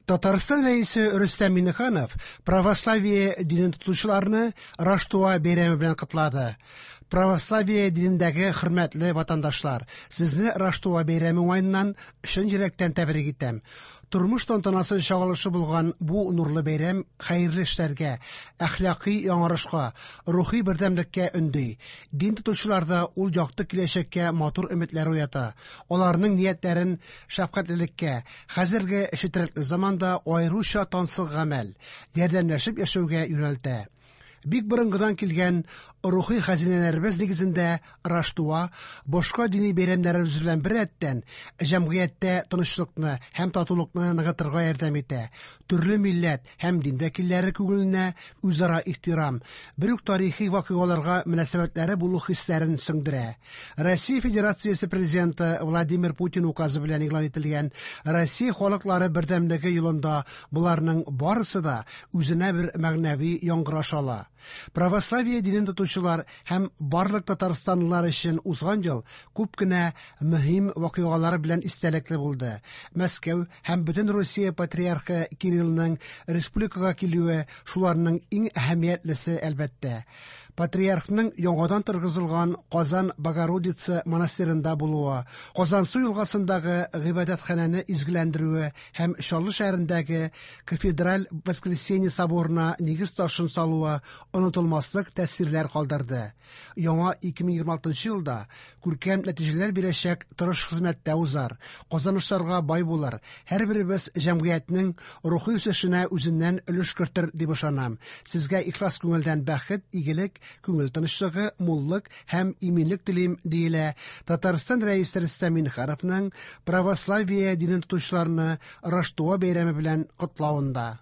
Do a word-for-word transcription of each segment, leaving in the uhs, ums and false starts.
Татарстан Рәисе Рөстәм Миңнеханов православие динен тотучыларны Раштуа бәйрәме белән котлады. Православие динендәге хөрмәтле ватандашлар, сезне Раштуа бәйрәме уңаеннан чын йөрәктән тәбрик итәм. Тормыш тантанасы чагылышы булган бу нурлы бәйрәм хәерле эшләргә, әхлакый яңарышка, рухи бердәмлеккә өнди. Дин тотучыларда ул якты киләчәккә матур өметләр уята. Аларның ниятләрен шәфкатьлелеккә, хәзерге четерекле заманда аеруча тансык гамәл, ярдәмләшеп яшәүгә юнәлтә. Бик борынгыдан килгән рухи хәзинәләребез нигезендә Раштуа башка дини бәйрәмнәребез белән беррәттән җәмгыятьтә тынычлыкны һәм татулыкны ныгытырга ярдәм итә. Төрле милләт һәм дин вәкилләре күңеленә үзара ихтирам, бер үк тарихи вакыйгаларга мөнәсәбәтләре булу хисләрен сеңдерә. Россия Федерациясе Президенты Владимир Путин указы белән игълан ителгән Россия халыклары бердәмлеге елында боларның барысы да үзенә бер мәгънәви яңгыраш ала. Православие динен тотучылар һәм барлык татарстанлылар өчен узган ел күп кенә мөһим вакыйгалар белән истәлекле булды. Мәскәү һәм бөтен Русия патриархы Кириллның республикага килүе шуларның иң әһәмиятлесе, әлбәттә. Патриархның яңадан торгызылган Казан Богородица монастыренда булуы, Казансу елгасындагы гыйбадәтханәне изгеләндерүе һәм Чаллы шәһәрендәге кафедраль Воскресенье соборына нигез ташын салуы онытылмаслык тәэсирләр калдырды. Яңа ике мең егерме алтынчы елда күркәм нәтиҗәләр бирәчәк тырыш хезмәттә узар, казанышларга бай булыр, һәрберебез җәмгыятьнең рухи үсешенә үзеннән өлеш кертер дип ышанам. Сезгә ихлас күңелдән бәхет, игелек, күңел тынычлыгы, муллык һәм иминлек телим, диелә Татарстан Рәисе Рөстәм Миңнехановның православие динен тотучыларны Раштуа бәйрәме белән котлавында.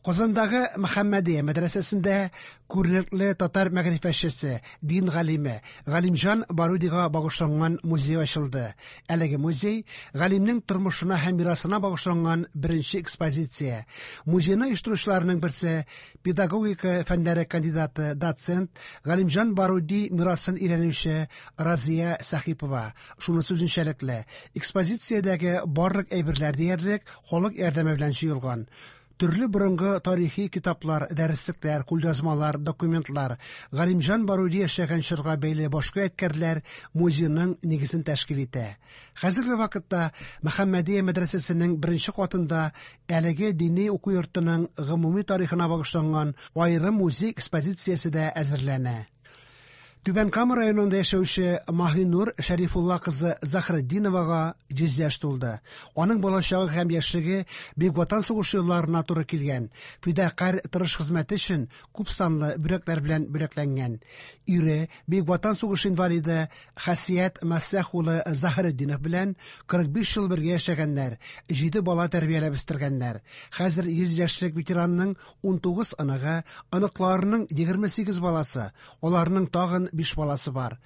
Казандагы Мөхәммәдия мәдрәсәсендә күренекле татар мәгърифәтчесе, дин галиме Галимҗан Барудига багышланган музей ачылды. Әлеге музей галимнең тормышына һәм мирасына багышланган беренче экспозиция. Музейны оештыручыларның берсе педагогика фәннәре кандидаты, доцент Галимҗан Баруди мирасын өйрәнүче Разия Сәхипова. Шунысы үзенчәлекле, экспозициядәге барлык әйберләр диярлек халык ярдәме белән җыелган. Төрле борынгы тарихи китаплар, дәреслекләр, кулъязмалар, документлар, Галимҗан Баруди яшәгән чорга бәйле башка ядкәрләр музейның нигезен тәшкил итә. Хәзерге вакытта Мөхәммәдия мәдрәсәсенең беренче катында әлеге дини уку йортының гомуми тарихына багышланган аерым музей экспозициясе дә әзерләнә. Түбән Кама районында яшәүче Маһинур Шәрифулла кызы Заһретдиновага йөз яшь тулды. Аның балачагы һәм яшьлеге Бөек Ватан сугышы елларына туры килгән. Фидакарь тырыш хезмәте өчен күп санлы бүләкләр белән бүләкләнгән. Ире Бөек Ватан сугышы инвалиды Хасият Мәсәх улы Заһретдинов белән кырык биш ел бергә яшәгәннәр, җиде бала тәрбияләп үстергәннәр. Хәзер йөз яшьлек ветеранның унтугыз оныгы, оныкларының егерме сигез баласы, аларның тагын биш баласы бар.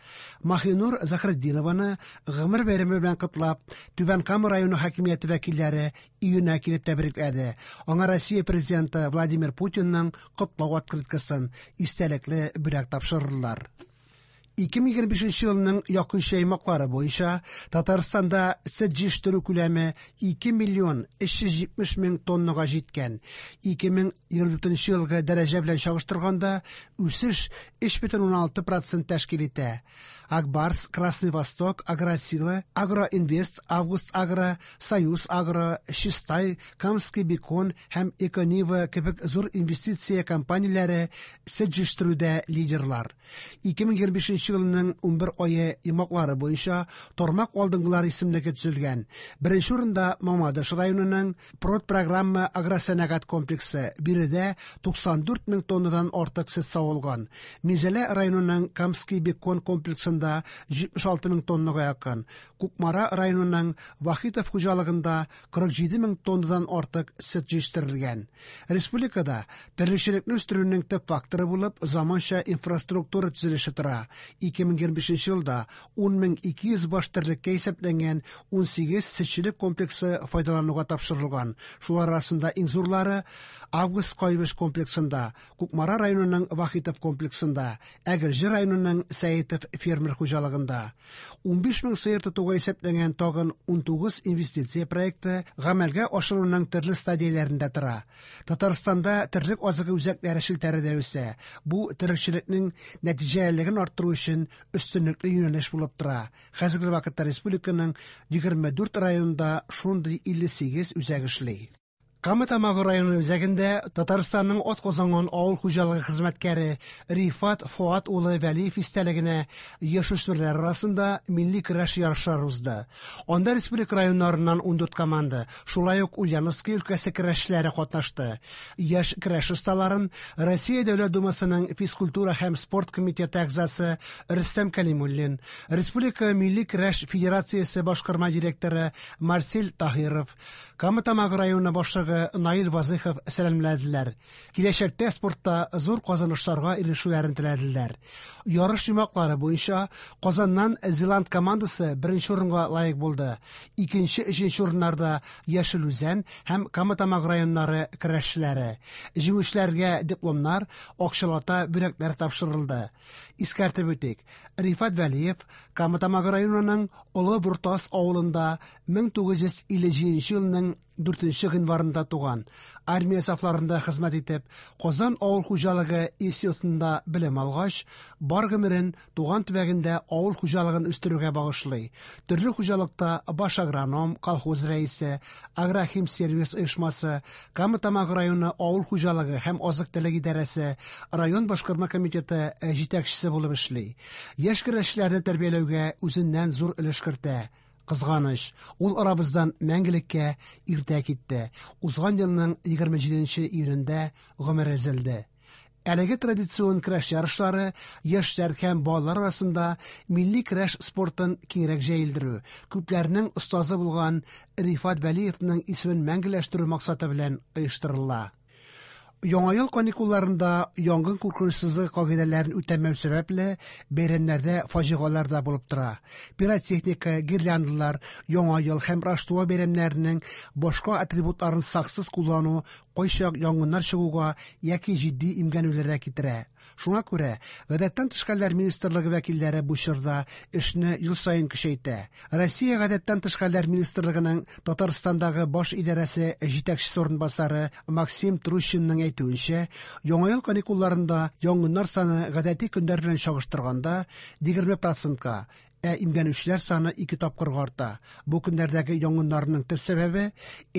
Маһинур Заһретдинованы гомер бәйрәме белән котлап, Түбән Кама районы хакимияте вәкилләре өенә килеп тәбрикләде. Аңа Россия президенты Владимир Путинның котлау открыткасын, истәлекле бүләк тапшырдылар. Ике мең егерме бишенче елның якынча аймаклары буенча Татарстанда сөт җитештерү күләме ике миллион өч йөз җитмеш мең тоннага җиткән. Ике мең егерме дүртенче елгы дәрәҗә белән чагыштырганда үсеш өч бөтен уннан алты процент тәшкил итә. Акбарс, Красный Восток, Агросила, Агроинвест, Август Агро, Союз Агро, Чистай, Камский Бекон һәм Эконива кебек зур инвестиция компанияләре сөт җитештерүдә лидерлар. Ике мең егерме бишенче елның унбер ае йомгаклары буенча тармак алдынгылар исемлеге төзелгән. Беренче урында Мамадыш районының Продпрограмма агросәнәгать комплексы, биредә туксан дүрт мең тоннадан артык сөт савылган. Минзәлә районының Камский Бекон комплексында җитмеш алты мең тоннага якын. Кукмара районының Вахитов хуҗалыгында кырык җиде мең тоннадан артык сөт җитештерелгән. Республикада терлекчелекне үстерүнең төп факторы булып заманча инфраструктура төзелеше тора. ике мең егерме бишенче елда ун мең ике йөз баш терлеккә исәпләнгән ун сигез сөтчелек комплексы файдалануга тапшырылган. Шулар арасында иң зурлары Август Кайбыч комплексында, Кукмара районының Вахитов комплексында, Әгерҗе районының Сәетов фермер хуҗалыгында. ун биш мең сыер тотуга исәпләнгән тагын ун тугыз инвестиция проекты гамәлгә ашыруның төрле стадияләрендә тора. Татарстанда терлек азыгы үзәкләре челтәре дә үсә. Бу терлекчелекнең нәтиҗәлелеген арттыру өчен өстенлекле юнәлеш булып тора. Хәзерге вакытта республиканың егерме дүрт районында шундый илле сигез үзәк эшли. Кама Тамагы районы үзәгендә Татарстанның атказанган авыл хуҗалыгы хезмәткәре Рифат Фуат улы Вәлиев истәлегенә яшүсмерләр арасында милли көрәш ярышлары узды. Анда республика районнарыннан ун дүрт команда, шулай ук Ульяновский өлкәсе көрәшчеләре катнашты. Яшь көрәш осталарын Россия Дәүләт Думасының физкультура һәм спорт комитеты әгъзасы Рөстәм Кәлимуллин, Республика милли көрәш федерациясе башкарма директоры Марсель Таһиров, Кама Тамагы районы башлыгы Наил Вазыхов сәламләделәр. Киләчәктә спортта зур казанышларга ирешүләрен теләделәр. Ярыш йомгаклары буенча Казаннан Зеланд командасы беренче урынга лаек булды. Икенче, өченче урыннарда Яшел Үзән һәм Кама Тамагы районнары көрәшчеләре. Җиңүчеләргә дипломнар, акчалата бүләкләр тапшырылды. Искәртеп үтик, Рифат Вәлиев Кама Тамагы районының Олы Бортас авылында мең тугыз йөз илле җиденче елның дүртенче гыйнварында туган. Армия сафларында хезмәт итеп, Казан авыл хуҗалыгы институтында белем алгач, бар гомерен туган төбәгендә авыл хуҗалыгын үстерүгә багышлый. Төрле хуҗалыкта баш агроном, колхоз рәисе, агрохимсервис оешмасы, Кама Тамагы районы авыл хуҗалыгы һәм азык-төлек идарәсе, район башкарма комитеты җитәкчесе булып эшли. Яшь көрәшчеләрне тәрбияләүгә үзеннән зур өлеш кертә. Кызганыч, ул арабыздан мәңгелеккә иртә китте. Узган елның егерме җиденче июнендә гомере өзелде. Әлеге традицион көрәш ярышлары яшьләр һәм балалар арасында милли көрәш спортын киңрәк җәелдерү, күпләрнең остазы булган Рифат Вәлиевның исемен мәңгеләштерү максаты белән оештырыла. Яңа ел каникулларында янгын куркынычсызлыгы кагыйдәләрен үтәмәү сәбәпле бәйрәмнәрдә фаҗигалар да булып тора. Пиротехника, гирляндалар, Яңа ел һәм Раштуа бәйрәмнәренең башка атрибутларын саксыз куллану кайчак янгыннар чыгуга яки җитди имгәнүләргә китерә. Шуңа күрә Гадәттән тыш хәлләр министрлыгы вәкилләре бу чорда эшне ел саен көчәйтә. Россия Гадәттән тыш хәлләр министрлыгының Татарстандагы баш идарәсе җитәкчесе урынбасары Максим Трущинның әйтүенчә, Яңа ел каникулларында янгыннар саны гадәти көннәр белән чагыштырганда егерме процентка, ә имгәнүчеләр саны ике тапкырга арта. Бу көннәрдәге янгыннарның төп сәбәбе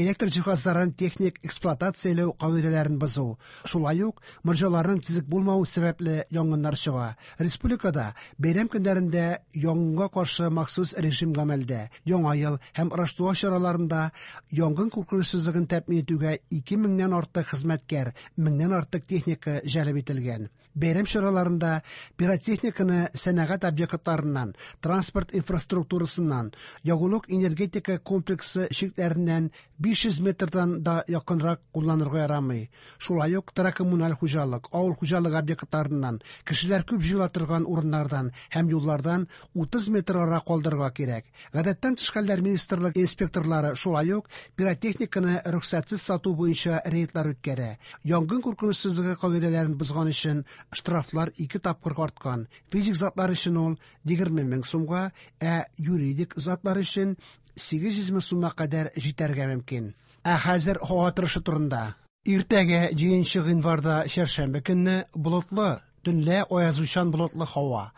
электр җиһазларын техник эксплуатацияләү кагыйдәләрен бозу. Шулай ук морҗаларның төзек булмавы сәбәпле янгыннар чыга. Республикада бәйрәм көннәрендә янгынга каршы махсус режим гамәлдә. Яңа ел һәм Раштуа чараларында янгын куркынычсызлыгын тәэмин итүгә ике меңнән артык хезмәткәр, меңнән артык техника җәлеп ителгән. Бәйрәм чараларында пиротехниканы сәнәгать объектларыннан, транспорт инфраструктурасыннан, ягулык энергетика комплексы чикләреннән биш йөз метрдан да якынрак кулланырга ярамый. Шулай ук торак-коммуналь хуҗалык, авыл хуҗалыгы объектларыннан, кешеләр күп җыела торган урыннардан һәм юллардан утыз метр ара калдырырга кирәк. Гадәттән тыш хәлләр министрлыгы инспекторлары шулай ук пиротехниканы рөхсәтсез сату буенча рейдлар үткәрә. Янгын куркынычсызлыгы кагыйдәләрен бозган өчен штрафлар ике тапкырга арткан. Физик затлар өчен ул егерме мең сумга, ә юридик затлар өчен сигез йөз мең сумга кадәр җитәргә мөмкин. Ә хәзер һава торышы турында. Иртәгә җиденче гыйнварда чәршәмбе көнне болытлы, төнлә аязучан болытлы һава.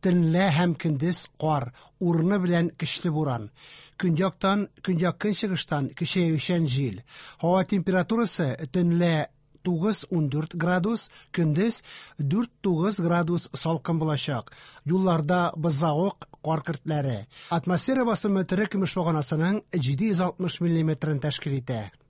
Төнлә һәм көндез кар, урыны белән көчле буран. Көньяктан, көньяк-көнчыгыштан көчәючән җил. Һава температурасы төнлә тугыз ундүрт градус, көндез дүрт тугыз градус салкын булачак. Юлларда бозавык, кар көртләре. Атмосфера басымы тере көмеш баганасының җиде йөз алтмыш миллиметрын тәшкил итә.